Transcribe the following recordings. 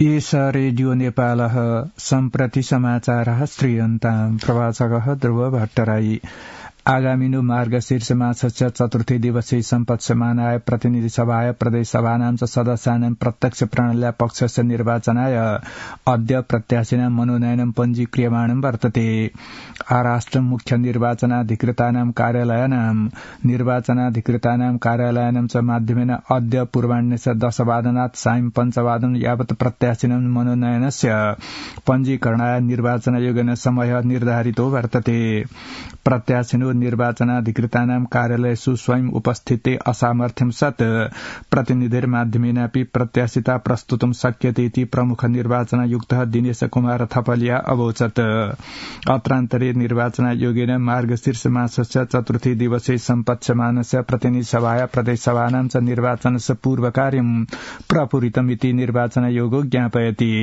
एष रेडियो नेपालः सम्प्रति समाचारः श्रीयन्ताम् प्रवाचकः ध्रुव भट्टराई आगामिनु मार्गशीर्ष मासस्य चतुर्थी दिवसीय सम्पत्समानाय प्रतिनिधि सभाय प्रदेश सभानां च सदस्यानां प्रत्यक्ष प्रणाल्या पक्षस्य निर्वाचनाय अद्य प्रत्याशिनां मनोनयनं पञ्जीक्रियमाणं वर्तते आराष्ट्र मुख्य निर्वाचनाधिकृतानां कार्यालयानां च माध्यमेन अद्य पूर्वाह्णे 10 वादनात् सायं 5 वादन यावत् प्रत्याशिनां मनोनयनस्य पञ्जीकरणाय निर्वाचनायोगेन समय निर्धारितो वर्तते प्रत्याशिनो निर्वाचनाधिकृतानां कार्यालयेषु स्वयं उपस्थिते असामर्थ्यं सत् प्रतिनिधिर्माध्यमेनापि प्रत्याशिता प्रस्तुतुं शक्यते इति प्रमुख निर्वाचनायुक्तः दिनेश कुमार थपलिया अवोचत् अत्रान्तरे निर्वाचनायोगेन मार्गशीर्ष मासस्य चतुर्थी दिवसे सम्पत्स्यमानस्य प्रतिनिधि सभाया प्रदेश सभानां च निर्वाचनस्य पूर्वकार्यं प्रपूरितमिति निर्वाचनायोगो ज्ञापयति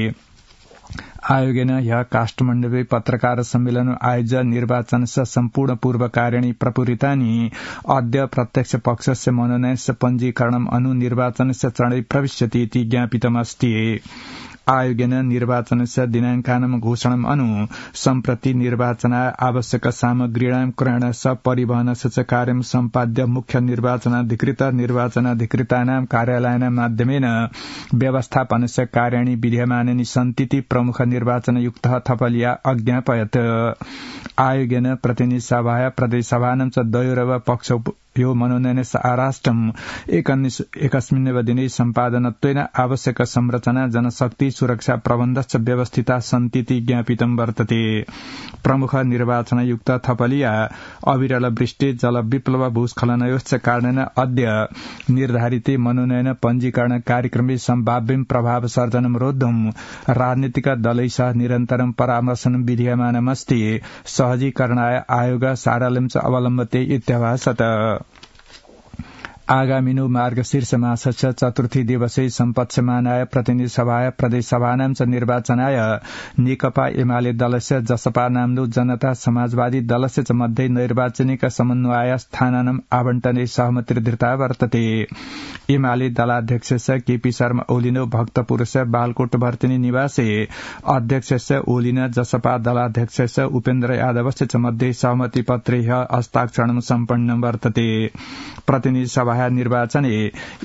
आयोगेन ह्यः काष्ठमण्डपे पत्रकार सम्मेलन आयोज्य निर्वाचनस्य सम्पूर्ण पूर्वकार्याणि प्रपूरितानि अद्य प्रत्यक्ष पक्षस्य मनोनयनस्य पञ्जीकरणम् अनु निर्वाचनस्य चरणे प्रविश्यति इति ज्ञापितमस्ति आयोगेन निर्वाचनस्य दिनाङ्कानां घोषणाम् अनु सम्प्रति निर्वाचनाय आवश्यक सामग्रीणां क्रयणस्य परिवहनस्य च कार्यं सम्पाद्य मुख्य निर्वाचनाधिकृतानां कार्यालयानां माध्यमेन व्यवस्थापनस्य कार्याणि विद्यमानानि सन्तीति प्रमुख निर्वाचनयुक्तः थपलिया अज्ञापयत् आयोगेन प्रतिनिधि सभाया प्रदेश सभानां च द्वयोरव पक्षयो मनोनयनस्य आराष्ट्रम् एकस्मिन्नेव दिने सम्पादनत्वेन आवश्यक संरचना जनशक्ति सुरक्षा प्रबन्धश्च व्यवस्थिता सन्तीति ज्ञापितं वर्तते प्रमुख निर्वाचनयुक्त थपलिया अविरल वृष्टि जलविप्लव भूस्खलनयोश्च कारणेन अद्य निर्धारिते मनोनयन पञ्जीकरण कार्यक्रमे सम्भाव्यं प्रभाव सर्जनं रोद्धुं राजनीतिक दलैः निरन्तरं परामर्शनं विधीयमानमस्ति सहजीकरणाय आयोग सारल्यं च अवलम्बते इत्यभासत आगामिनु मार्गशीर्ष मासस्य चतुर्थी दिवसे सम्पत्स्यमानाय प्रतिनिधि सभाय प्रदेश सभानां च निर्वाचनाय नेकपा एमाले दलस्य जसपा नाम्लो जनता समाजवादी दलस्य च मध्ये नैर्वाचनिक समन्वय स्थानानां आवण्टने सहमतिर्धृता वर्तते एमाले दलाध्यक्षस्य केपी शर्मा ओलिनो भक्तपुरस्य बालकोट भर्तिनी निवासे अध्यक्षस्य ओलिन जसपा दलाध्यक्षस्य उपेन्द्र यादवस्य च मध्ये सहमति पत्रे हस्ताक्षरणं सम्पन्नं वर्तते प्रतिनिधि सभा निर्वाचने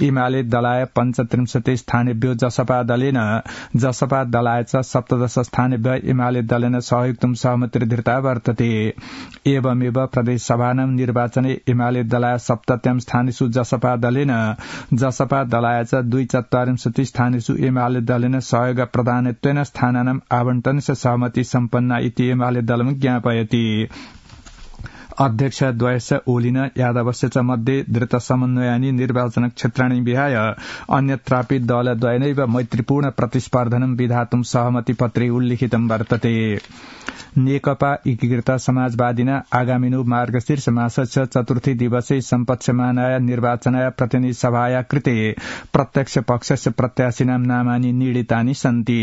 एमाले दलाय 35 स्थानेभ्यो जसपा दलाय च 17 स्थानेभ्य एमाले दलेन सहयुक्तं सहमतिर्धृता वर्तते एवमेव प्रदेश सभानां निर्वाचने एमाले दलाय 70 स्थानेषु जसपा दलाय च 2/4 स्थानेषु एमाले दलेन सहयोग प्रदानत्वेन स्थानानां आवण्टनस्य सहमति सम्पन्ना इति एमाले दलं ज्ञापयति अध्यक्ष द्वयस्य ओलिन यादवस्य च मध्ये धृत समन्वयानि निर्वाचन क्षेत्राणि विहाय अन्यत्रापि दलद्वयनैव मैत्रीपूर्ण प्रतिस्पर्धनं विधातुं सहमति पत्रे उल्लिखितं वर्तते नेकपा एकीकृत समाजवादिना आगामिनु मार्गशीर्ष मासस्य चतुर्थी दिवसे सम्पत्स्यमानाय निर्वाचनाय प्रतिनिधि सभाया कृते प्रत्यक्ष पक्षस्य प्रत्याशिनां नामानि नीडितानि सन्ति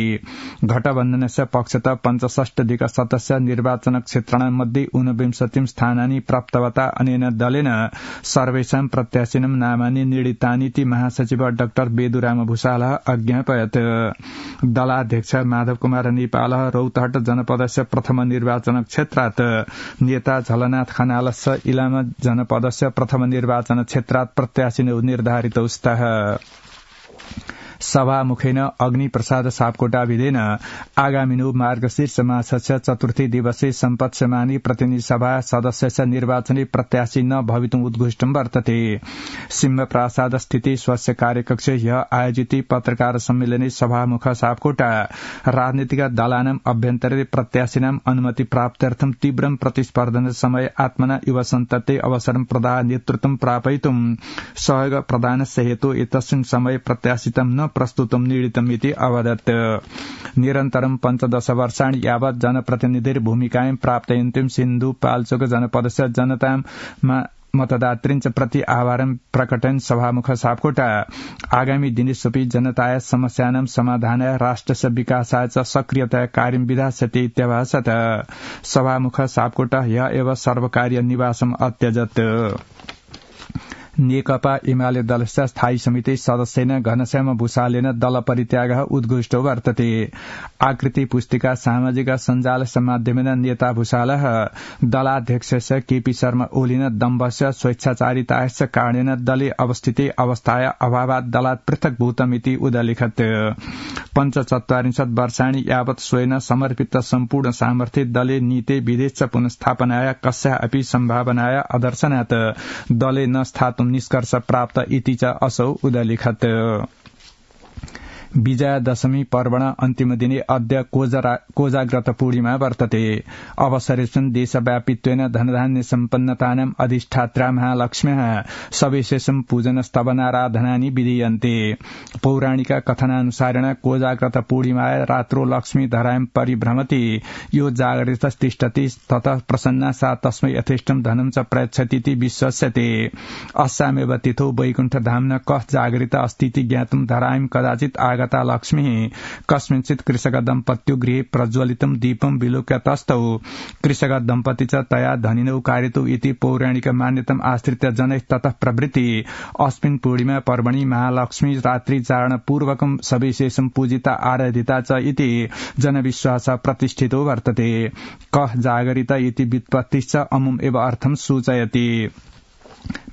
घटबन्धनस्य पक्षतः 65 सदस्य निर्वाचन क्षेत्राणां मध्ये 29 स्थानानि प्राप्तवता अनेन दलेन सर्वेषां प्रत्याशिनां नामानि नीडितानीति महासचिव डाक्टर बेदुराम भूषालः अज्ञापयत् दलाध्यक्ष माधव कुमार नेपालः रौतहट जनपदस्य प्रथम निर्वाचन क्षेत्रात् नेता झलनाथ खनालस्य इलाम जनपदस्य प्रथम निर्वाचन क्षेत्रात् प्रत्याशिनो निर्धारितौ स्तः सभामुखेन अग्निप्रसाद सापकोटाभिधेन आगामिनु मार्गशीर्ष मासस्य चतुर्थी दिवसे सम्पत्स्यमानी प्रतिनिधि सभा सदस्यस्य निर्वाचने प्रत्याशी न भवितुम् उद्घोष्टं वर्तते सिंहप्रासाद स्थिति स्वस्य कार्यकक्षे ह्यः आयोजिते पत्रकार सम्मेलने सभामुख सापकोटा राजनीतिक दलानां अभ्यन्तरे प्रत्याशिनां अनुमति प्राप्त्यर्थं तीव्रं प्रतिस्पर्धन समय आत्मना युव सन्तते अवसरं प्रदाय नेतृत्वं प्रापयितुं सहयोग प्रदानस्य हेतु एतस्मिन् समये प्रत्याशितं न प्रस्तुतं नीडितमिति अवदत् निरन्तरं 15 वर्षाणि यावत् जनप्रतिनिधिर्भूमिकायां प्राप्तयन्तीं सिन्धु पाल्चोक जनपदस्य जनतां मतदातृञ्च प्रति आभारं प्रकटयन् सभामुख सापकोटा आगामी दिनेष्वपि जनताय समस्यानां समाधानाय राष्ट्रस्य विकासाय च सक्रियतया कार्यं विधास्यति इत्यभासत सभामुख सापकोटा ह्यः एव सर्वकारीय निवासम् अत्यजत् नेकपा एमाले दलस्य स्थायी समिति सदस्येन घनश्याम भूषालेन दल परित्यागः उद्घुष्टो वर्तते। आकृति पुस्तिका सामाजिक सञ्जाल माध्यमेन नेता भूषालः दलाध्यक्षस्य केपी शर्मा ओलिन दम्भस्य स्वेच्छाचारिताश्च कारणेन दले अवस्थिते अवस्थाय अभावात् दलात् पृथक्भूतमिति उदलिखत्। 45 वर्षाणि यावत् स्वेन समर्पित सम्पूर्ण सामर्थ्ये दले नीते विदेश पुनस्थापनाय कस्या अपि सम्भावनाय अदर्शनात् दले न स्थातुं निष्कर्ष प्राप्त इति च असौ उदलिखत्। विजयादशमी पर्वण अन्तिम दिने अद्य कोजाग्रत पूर्णिमा वर्तते। अवसरेऽस्मिन् देशव्यापित्वेन धनधान्य सम्पन्नतानाम् अधिष्ठात्रा महालक्ष्म्याः सविशेषं पूजन स्तवनाराधनानि विधीयन्ते। पौराणिक कथनानुसारेण कोजाग्रत पूर्णिमाय रात्रो लक्ष्मी धरायं परिभ्रमति यो जागरित तिष्ठति ततः प्रसन्ना सा तस्मै यथेष्टं धनं च प्रयच्छतीति विश्वस्यते। अस्यामेव तिथौ वैकुण्ठधाम्न कः जागरित अस्तीति ज्ञातुं धरायं कदाचित् आगता लक्ष्मी कस्मिंश्चित् कृषक दम्पत्यो गृहे प्रज्वलितं दीपं विलोक्य तस्थौ कृषक दम्पति च तया धनिनौ कारितौ इति पौराणिक मान्यताम् आश्रित्य जनैः ततः प्रवृत्ति अस्मिन् पूर्णिमा पर्वणि महालक्ष्मी रात्रि चारण पूर्वकं सविशेषं पूजिता आराधिता च इति जनविश्वास प्रतिष्ठितो वर्तते। कः जागरित इति व्युत्पत्तिश्च अमुम् एव अर्थं सूचयति।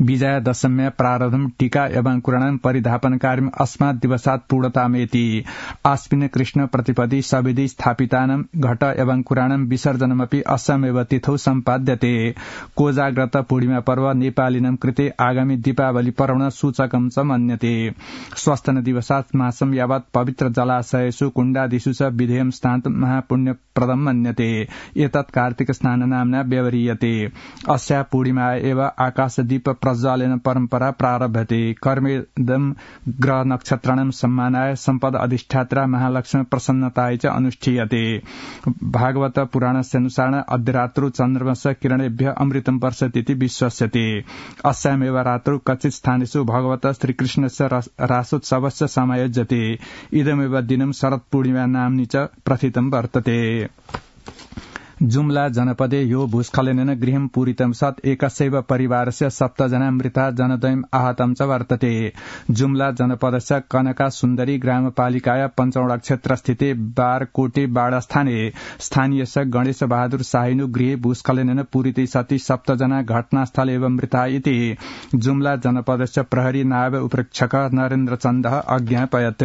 विजयादशम्या प्रारब्धं टीका एवं परिधापन कार्यम् अस्मात् दिवसात् पूर्णतामेति। आस्मिन् कृष्ण प्रतिपदि सविधि स्थापितानां घट एवं कुराणं विसर्जनमपि अस्यामेव तिथौ सम्पाद्यते। कोजाग्रत पूर्णिमा पर्व नेपालिनां कृते आगामी दीपावली पर्वण सूचकं च मन्यते। स्वस्तन दिवसात् मासं यावत् पवित्र जलाशयेषु कुण्डादिषु च विधेयं स्नातुं महापुण्यप्रदं मन्यते। एतत् कार्तिक स्नान नाम्ना व्यवह्रियते। अस्या पूर्णिमा एव आकाशदीप प्रज्वालन परम्परा प्रारभ्यते। कर्मेदं ग्रह नक्षत्राणां सम्मानाय सम्पद अधिष्ठात्रा महालक्ष्मी प्रसन्नताय च अनुष्ठीयते। भागवत पुराणस्यानुसारेण अद्यरात्रौ चन्द्रमस्य किरणेभ्यः अमृतं वर्षतीति विश्वस्यते। अस्यामेव रात्रौ कच्चित् स्थानेषु भगवत श्रीकृष्णस्य रासोत्सवस्य समायोज्यते। इदमेव दिनं शरत्पूर्णिमा नाम्नि च प्रथितं वर्तते। जुम्ला जनपदे यो भूस्खलनेन गृहं पूरितं सत् एकस्यैव परिवारस्य 7 जना मृता जनद्वयम् आहतं च वर्तते। जुम्ला जनपदस्य कनका सुन्दरी ग्रामपालिकाया पञ्चौडा क्षेत्रस्थिते बारकोटे बाडास्थाने स्थानीयस्य गणेश बहादुर शाहिनु गृहे भूस्खलनेन पूरिते सति 7 जना घटनास्थले एव मृता इति जुम्ला जनपदस्य प्रहरी नायब उपरीक्षक नरेन्द्र चन्दः अज्ञापयत्।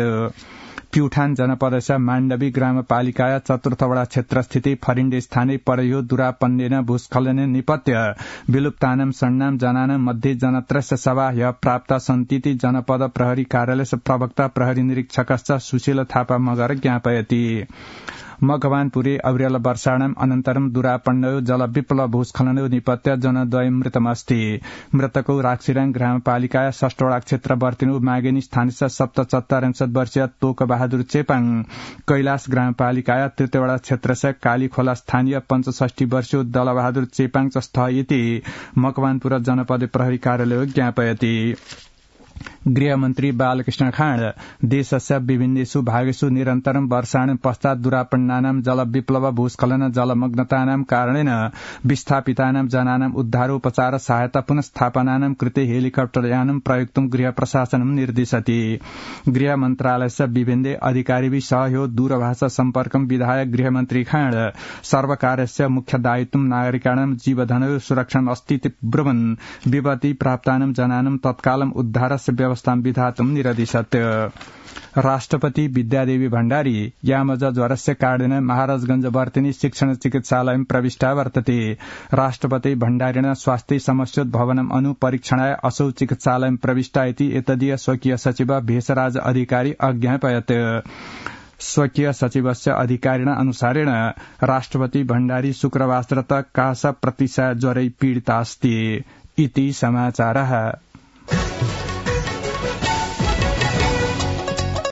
प्युठान जनपदस्य माण्डवी ग्रामपालिकाया चतुर्थवडा क्षेत्रस्थिते फरिण्डे स्थाने परयो दुरापन्नेन भूस्खलनेन निपत्य विलुप्तानां षण्णां जनानां मध्ये जनत्रयस्य शवा ह्यः प्राप्ता सन्तीति जनपद प्रहरी कार्यालयस्य प्रवक्ता प्रहरी निरीक्षकश्च सुशील थापा मगर ज्ञापयति। मघवानपुरे अविरल वर्षाणाम् अनन्तरं दुरापन्नयो जलविप्लव भूस्खलनयो निपत्य जनद्वयं मृतमस्ति। मृतकौ राक्षीराङ ग्रामपालिकाया 6 क्षेत्रवर्तिनो मागेनी स्थानीय 74 वर्षीय तोक बहादुर चेपाङ, कैलाश ग्रामपालिकाया 3 क्षेत्रस्य कालीखोला स्थानीय 65 वर्षीय दलबहादुर चेपाङ च स्थ इति मकवानपुर जनपद प्रहरी कार्यालय ज्ञापयति। गृहमन्त्री बालकृष्ण खाँड देशस्य विभिन्नेषु भागेषु निरन्तरं वर्षाणां पश्चात् दुरापन्नानां जलविप्लव भूस्खलन जलमग्नतानां कारणेन विस्थापितानां जनानां उद्धारोपचार सहायता पुनस्थापनानां कृते हेलिकप्टर यानं प्रयुक्तुं गृह प्रशासनं निर्दिशति। गृह मन्त्रालयस्य विभिन्ने अधिकारिभिः सह यो दूरभाष सम्पर्कं विधाय गृहमन्त्री खाँड सर्वकारस्य मुख्य दायित्वं नागरिकाणां जीवधनयो सुरक्षाम् अस्तीति ब्रुवन् विपत्ति प्राप्तानां जनानां तत्कालं उद्धारस्य व्यवस्थां विधातुं निरदिशत्। राष्ट्रपति विद्यादेवी भण्डारी यामज ज्वरस्य कारणेन महाराजगंज वर्तिनी शिक्षण चिकित्सालयं प्रविष्टा वर्तते। राष्ट्रपति भण्डारिण स्वास्थ्य समस्योद्भवनम् अनुपरीक्षणाय असौ चिकित्सालयं प्रविष्टा इति एतदीय स्वकीय सचिव भेषराज अधिकारी अज्ञापयत्। स्वकीय सचिवस्य अधिकारिण अनुसारेण राष्ट्रपति भण्डारी शुक्रवासरत कास प्रतिशय ज्वरै पीडिता अस्ति इति समाचारः।